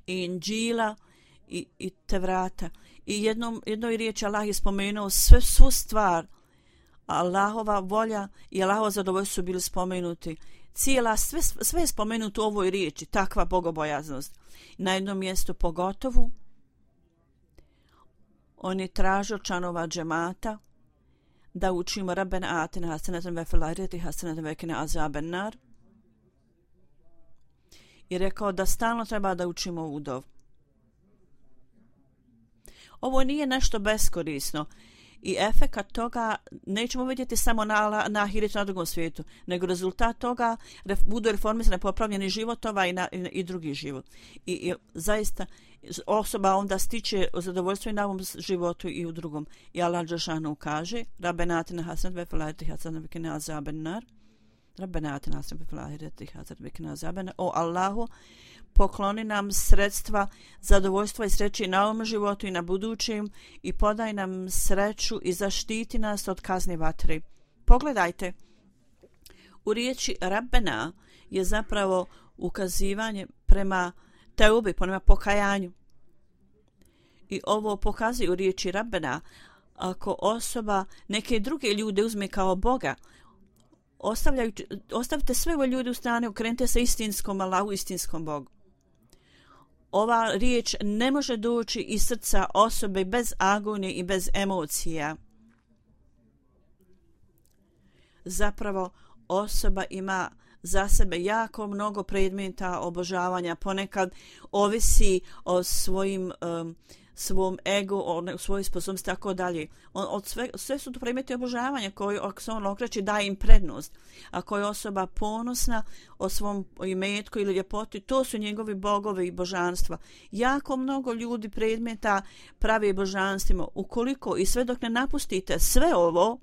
i Inđila i, i Tevrata. I jednom, jednoj riječi Allah je spomenuo sve, svu stvar. Allahova volja i Allahovo zadovoljstvo su bili spomenuti. Cijela, sve, sve je spomenuto u ovoj riječi, takva bogobojaznost. Na jednom mjestu pogotovo on je tražio članova džemata da učimo Rabbena atina hasanatan ve fil ahireti hasanatan ve qina azaben nar. I rekao da stalno treba da učimo ovu dovu. Ovo nije nešto beskorisno i efekat toga nećemo vidjeti samo na, na ahiretu, na drugom svijetu, nego rezultat toga ref, budu reformisane popravljeni životova i, na, i, i drugi život. I, i zaista osoba onda stiče zadovoljstvo i na ovom životu i u drugom. I Allah dželešanu kaže Rabbena atina hasanatan ve fil ahireti hasanatan ve qina azaben nar. Rabbena atina hasanatan ve fil ahireti hasanatan ve qina azaben nar. O Allahu, pokloni nam sredstva zadovoljstva i sreće na ovom životu i na budućem i podaj nam sreću i zaštiti nas od kazne vatre. Pogledajte, u riječi Rabbena je zapravo ukazivanje prema teubi, prema pokajanju. I ovo pokazuje u riječi Rabbena, ako osoba neke druge ljude uzme kao Boga, ostavite sve ove ljude u strane, okrenite se istinskom Allahu, istinskom Bogu. Ova riječ ne može doći iz srca osobe bez agonije i bez emocija. Zapravo osoba ima za sebe jako mnogo predmeta obožavanja, ponekad ovisi o svojim um, svom ego, o svojoj sposobnosti, tako dalje. On, od sve, sve su to predmeti obožavanja koji, ako se on okreće, daje im prednost. Ako je osoba ponosna o svom imetku ili ljepoti, to su njegovi bogovi i božanstva. Jako mnogo ljudi predmeta pravi božanstvima. Ukoliko i sve dok ne napustite sve ovo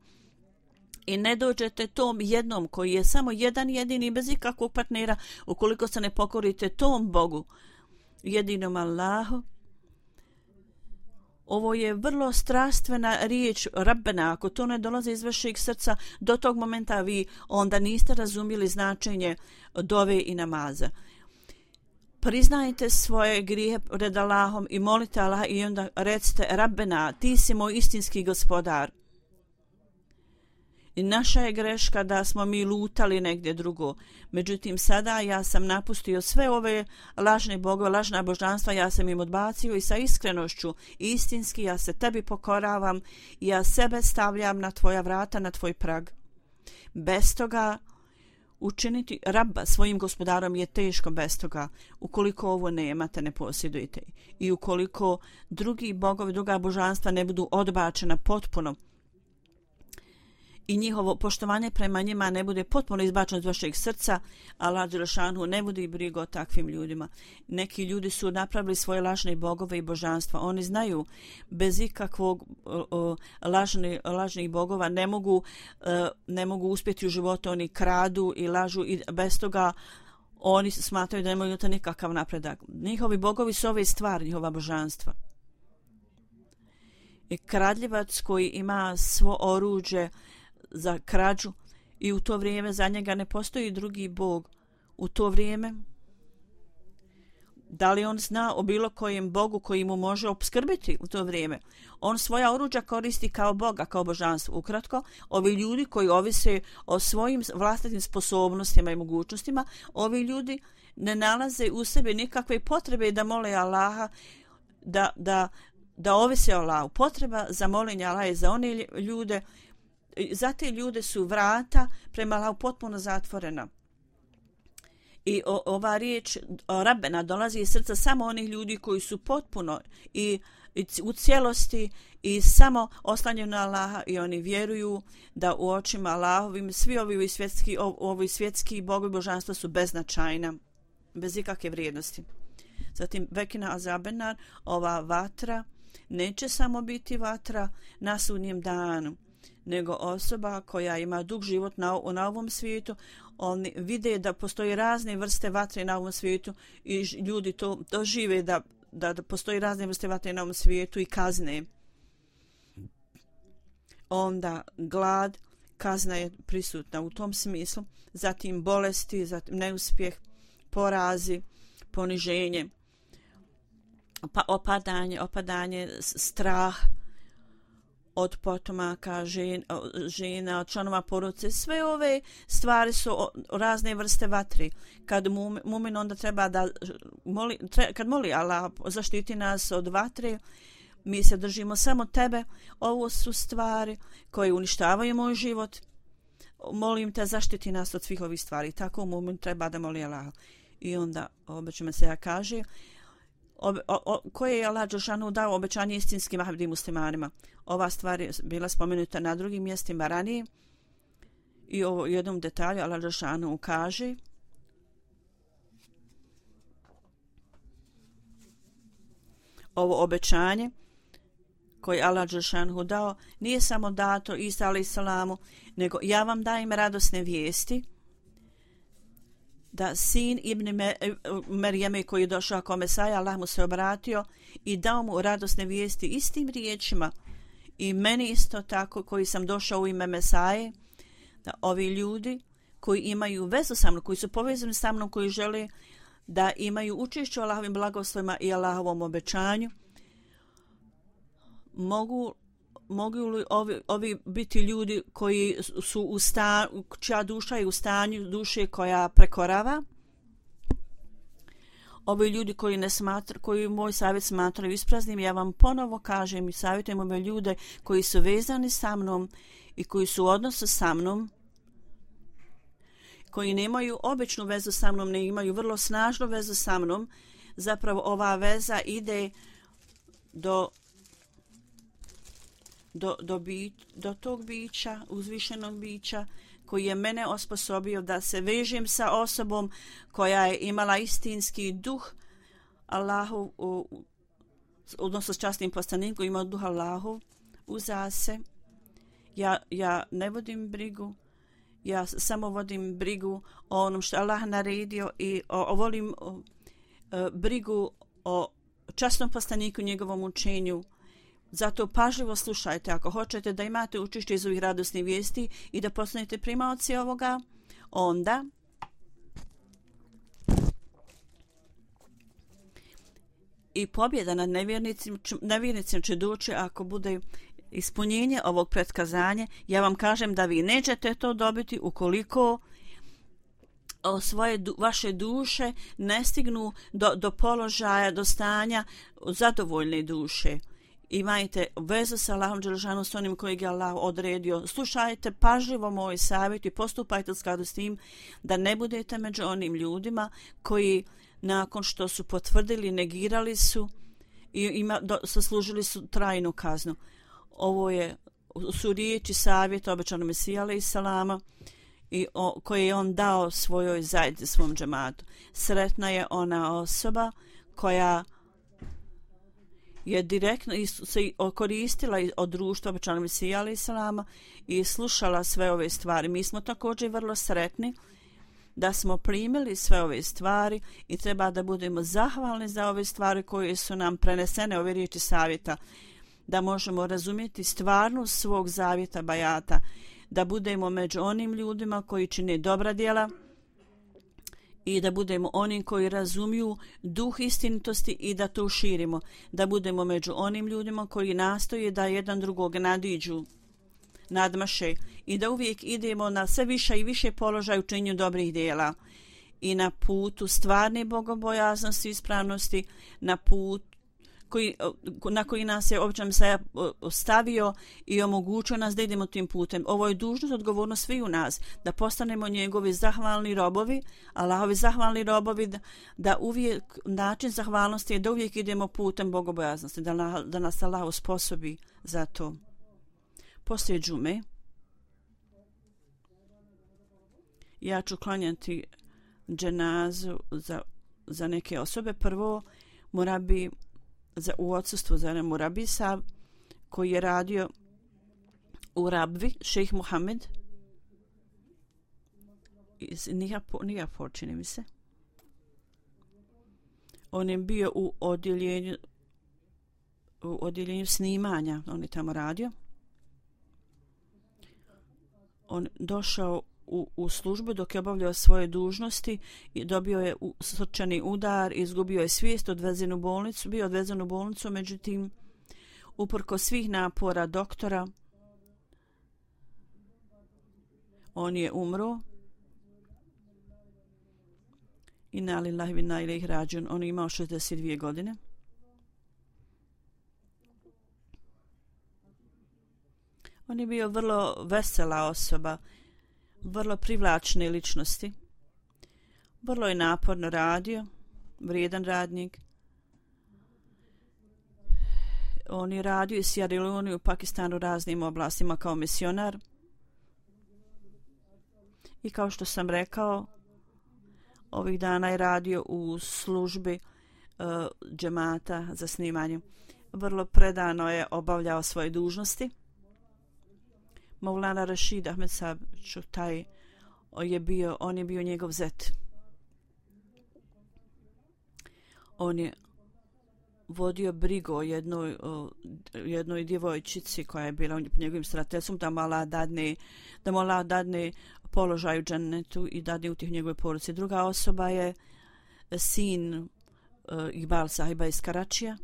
i ne dođete tom jednom koji je samo jedan jedini bez ikakvog partnera, ukoliko se ne pokorite tom Bogu, jedinom Allahu, ovo je vrlo strastvena riječ Rabbena. Ako to ne dolazi iz vašeg srca, do tog momenta vi onda niste razumjeli značenje dove i namaza. Priznajte svoje grijehe pred Allahom i molite Allah i onda recite Rabbena, ti si moj istinski gospodar. I naša je greška da smo mi lutali negdje drugo. Međutim, sada ja sam napustio sve ove lažne bogove, lažna božanstva, ja sam im odbacio i sa iskrenošću istinski ja se tebi pokoravam i ja sebe stavljam na tvoja vrata, na tvoj prag. Bez toga učiniti Rabba svojim gospodarom je teško bez toga. Ukoliko ovo nemate, ne posjedujete. I ukoliko drugi bogovi, druga božanstva ne budu odbačena potpuno, i njihovo poštovanje prema njima ne bude potpuno izbačeno iz vašeg srca, Allah dželešanu ne vodi brigu o takvim ljudima. Neki ljudi su napravili svoje lažne bogove i božanstva. Oni znaju bez ikakvog o, o, lažni, lažnih bogova ne mogu, e, ne mogu uspjeti u životu. Oni kradu i lažu i bez toga oni smatraju da nemaju nikakav napredak. Njihovi bogovi su ove stvari, njihova božanstva. I kradljivac koji ima svo oruđe za krađu i u to vrijeme za njega ne postoji drugi bog. U to vrijeme da li on zna o bilo kojem bogu koji mu može opskrbiti u to vrijeme? On svoja oruđa koristi kao boga, kao božanstvo. Ukratko, ovi ljudi koji ovise o svojim vlastitim sposobnostima i mogućnostima, ovi ljudi ne nalaze u sebi nikakve potrebe da mole Allaha, da, da, da ovise o Allahu. Potreba za molenje Allaha je za one ljude, za te ljude su vrata prema Allahu potpuno zatvorena. I o, ova riječ Rabbena dolazi iz srca samo onih ljudi koji su potpuno i, i u cijelosti i samo oslanjeni na Allaha i oni vjeruju da u očima Allahovim svi ovi svjetski, ovi svjetski bogovi božanstva su beznačajna, bez ikakve vrijednosti. Zatim vekina azabenar, ova vatra neće samo biti vatra na sudnjem danu, nego osoba koja ima dug život na, na ovom svijetu, oni vide da postoji razne vrste vatre na ovom svijetu i ljudi to dožive da, da, da postoji razne vrste vatre na ovom svijetu i kazne. Onda glad, kazna je prisutna u tom smislu, zatim bolesti, zatim neuspjeh, porazi, poniženje, pa opadanje, opadanje, strah od potomaka, žen, žena, od članova porodice. Sve ove stvari su razne vrste vatri. Kad mumin onda treba da moli, tre, kad moli Allah zaštiti nas od vatre, mi se držimo samo tebe. Ovo su stvari koje uništavaju moj život. Molim te zaštiti nas od svih ovih stvari. Tako mumin treba da moli Allah. I onda obećama se ja kaže Obe, o, o, koje je Allah Đelšanu dao obećanje istinskim abdi muslimanima. Ova stvar je bila spomenuta na drugim mjestima ranije i u jednom detalju Allah Đelšanu kaže ovo obećanje koje Allah Đelšanu dao nije samo dato Isa alejhi selamu, nego ja vam dajem radosne vijesti da sin Ibn Merijeme koji je došao kao Mesaja, Allah mu se obratio i dao mu radosne vijesti istim riječima i meni isto tako koji sam došao u ime Mesaje, da ovi ljudi koji imaju vezu sa mnom, koji su povezani sa mnom, koji žele da imaju učešće u Allahovim blagoslovima i Allahovom obećanju, mogu mogu li ovi, ovi biti ljudi koji su u stanju, čija duša je u stanju duše koja prekorava, ovi ljudi koji ne smatra, koji moj savjet smatraju ispraznim, ja vam ponovo kažem i savjetujem ove ljude koji su vezani sa mnom i koji su u odnosu sa mnom, koji nemaju običnu vezu sa mnom, ne imaju vrlo snažnu vezu sa mnom, zapravo ova veza ide do Do, do, bi, do tog bića, uzvišenog bića, koji je mene osposobio da se vežem sa osobom koja je imala istinski duh Allahu, u, odnosno s časnim poslanikom, koji ima duh Allahu uza se. Ja, ja ne vodim brigu, ja samo vodim brigu o onom što Allah naredio i o, o volim o, o, brigu o časnom poslaniku, njegovom učenju. Zato pažljivo slušajte ako hoćete da imate učešće iz ovih radosnih vijesti i da postanete primaoci ovoga, onda i pobjeda nad nevjernicima, nevjernicima će doći ako bude ispunjenje ovog pretkazanja. Ja vam kažem da vi nećete to dobiti ukoliko o svoje vaše duše ne stignu do, do položaja, do stanja zadovoljne duše. Imajte vezu sa Allahom Đelešanu, s onim kojeg je Allah odredio. Slušajte pažljivo moj savjet i postupajte u skladu s tim da ne budete među onim ljudima koji nakon što su potvrdili, negirali su i ima, do, zaslužili su trajnu kaznu. Ovo je su riječi savjeta obećanog Mesija alejhi selama i o, koje je on dao svojoj zajednici, svom džematu. Sretna je ona osoba koja je direktno se koristila od društva obećanog Mesija alejhi selama i slušala sve ove stvari. Mi smo također vrlo sretni da smo primili sve ove stvari i treba da budemo zahvalni za ove stvari koje su nam prenesene, ove riječi savjeta, da možemo razumjeti stvarnost svog zavjeta bajata, da budemo među onim ljudima koji čine dobra djela i da budemo oni koji razumiju duh istinitosti i da to širimo, da budemo među onim ljudima koji nastoje da jedan drugog nadiđu, nadmaše i da uvijek idemo na sve više i više položaj u činjenju dobrih djela i na putu stvarne bogobojaznosti i ispravnosti, na put koji, na koji nas je obično Mesaja ostavio i omogućio nas da idemo tim putem. Ovo je dužnost, odgovornost svi u nas, da postanemo njegovi zahvalni robovi, Allahovi zahvalni robovi, da, da uvijek način zahvalnosti je da uvijek idemo putem bogobojaznosti, da, na, da nas Allah osposobi za to. Poslije džume ja ću klanjati dženazu za za neke osobe. Prvo, Murabi za, u odsustvu za Murabi Sab, koji je radio u Rabvi, šejh Muhammed, iz Nijapor, čini mi se. On je bio u odjeljenju, u odjeljenju snimanja, on je tamo radio. On došao u, u službu dok je obavljao svoje dužnosti i dobio je srčani udar, izgubio je svijest, odvezen u bolnicu, bio odvezen u bolnicu, međutim, uprko svih napora doktora, on je umro. Inna lillahi wa inna ilaihi rađun. On je imao šezdeset dvije godine. On je bio vrlo vesela osoba, vrlo privlačne ličnosti. Vrlo je naporno radio, vrijedan radnik. On je radio i Sierra Leone u Pakistanu raznim oblastima kao misionar. I kao što sam rekao, ovih dana je radio u službi uh, džemata za snimanje. Vrlo predano je obavljao svoje dužnosti. Maulana Rashid Ahmed Sab Čutaj je bio, on je bio njegov zet. On je vodio brigu o jednoj, o jednoj djevojčici koja je bila njegovim starateljstvom, da mu Allah dadne, da mu Allah dadne položaj u džennetu i dadne utjeh njegove porodice. Druga osoba je sin uh, Iqbal sahiba iz Karačija.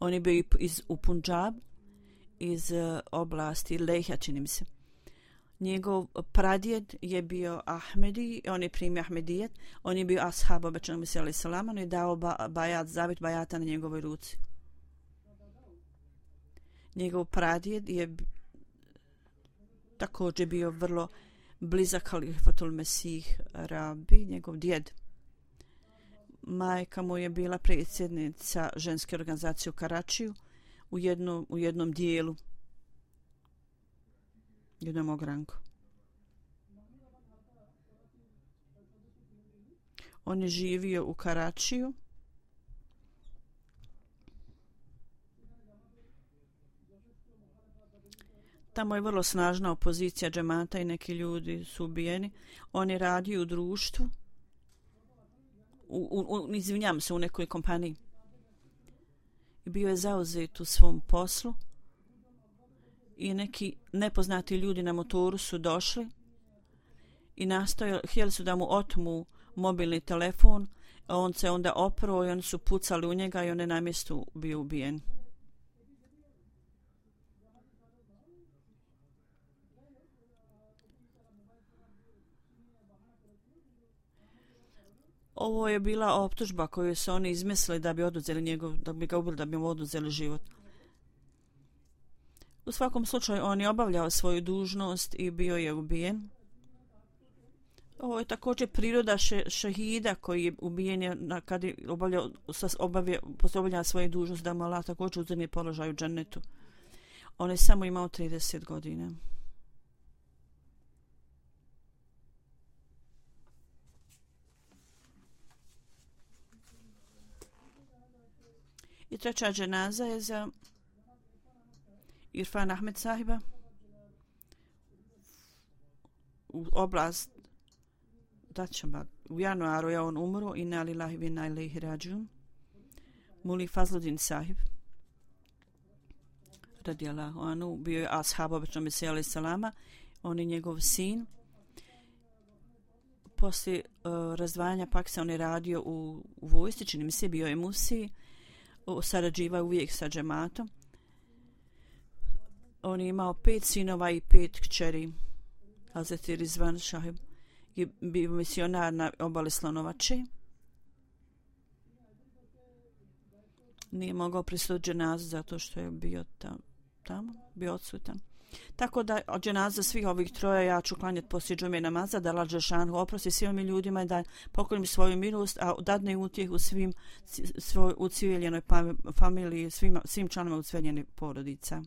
On je bio iz, u Punjab, iz uh, oblasti Lehja, čini mi se. Njegov pradjed je bio Ahmedi, on je primio Ahmedijet, on je bio ashab obećanog Mesija alejhi selam, on je dao ba, bajat, zavjet bajata na njegovoj ruci. Njegov pradjed je također bio vrlo blizak Halifatul Mesih Rabi, njegov djed. Majka mu je bila predsjednica ženske organizacije u Karačiju u jednom, u jednom dijelu, jednom ogranku. On je živio u Karačiju. Tamo je vrlo snažna opozicija džemata i neki ljudi su ubijeni. On je radio u društvu, u, u, u, izvinjam se, u nekoj kompaniji. I bio je zauzet u svom poslu. I neki nepoznati ljudi na motoru su došli i nastojali, htjeli su da mu otmu mobilni telefon, a on se onda oprao i oni su pucali u njega i on je na mjestu bio ubijen. Ovo je bila optužba koju su oni izmislili da bi oduzeli njegov, da bi ga ubili, da bi mu oduzeli život. U svakom slučaju on je obavljao svoju dužnost i bio je ubijen. Ovo je također priroda še, šehida koji je ubijen je kad je obavljao, obavljao, obavljao svoju dužnost, da mu Allah također uzme položaj u džennetu. On je samo imao trideset godina. I treća dženaza je za Irfan Ahmed sahiba u oblast Dačamba. U januaru je on umro, inna lillahi wa inna ilaihi rađun. Muli Fazludin sahib radijallahu anhu bio je ashab obećanog Mesija alejhi selama, on je njegov sin. Poslije uh, razdvajanja Pakistana on je radio u, u vojsci, čini mi se, bio je Musi, sarađivao uvijek sa džematom. On je imao pet sinova i pet kćeri. Hazreti Rizvan Šahib je bio misionar na obali Slonovače. Nije mogao prisutiti dženazu zato što je bio tam, tamo, bio odsutan. Tako da od dženaza svih ovih troja ja ću klanjati poslije džume namaza, da Allah dželešanu oprosti svim ovim ljudima i da pokorim svoju milost, a dadne utjehu svim svoj ucijeljenoj familiji, svim, svim članovima ucijeljene porodica.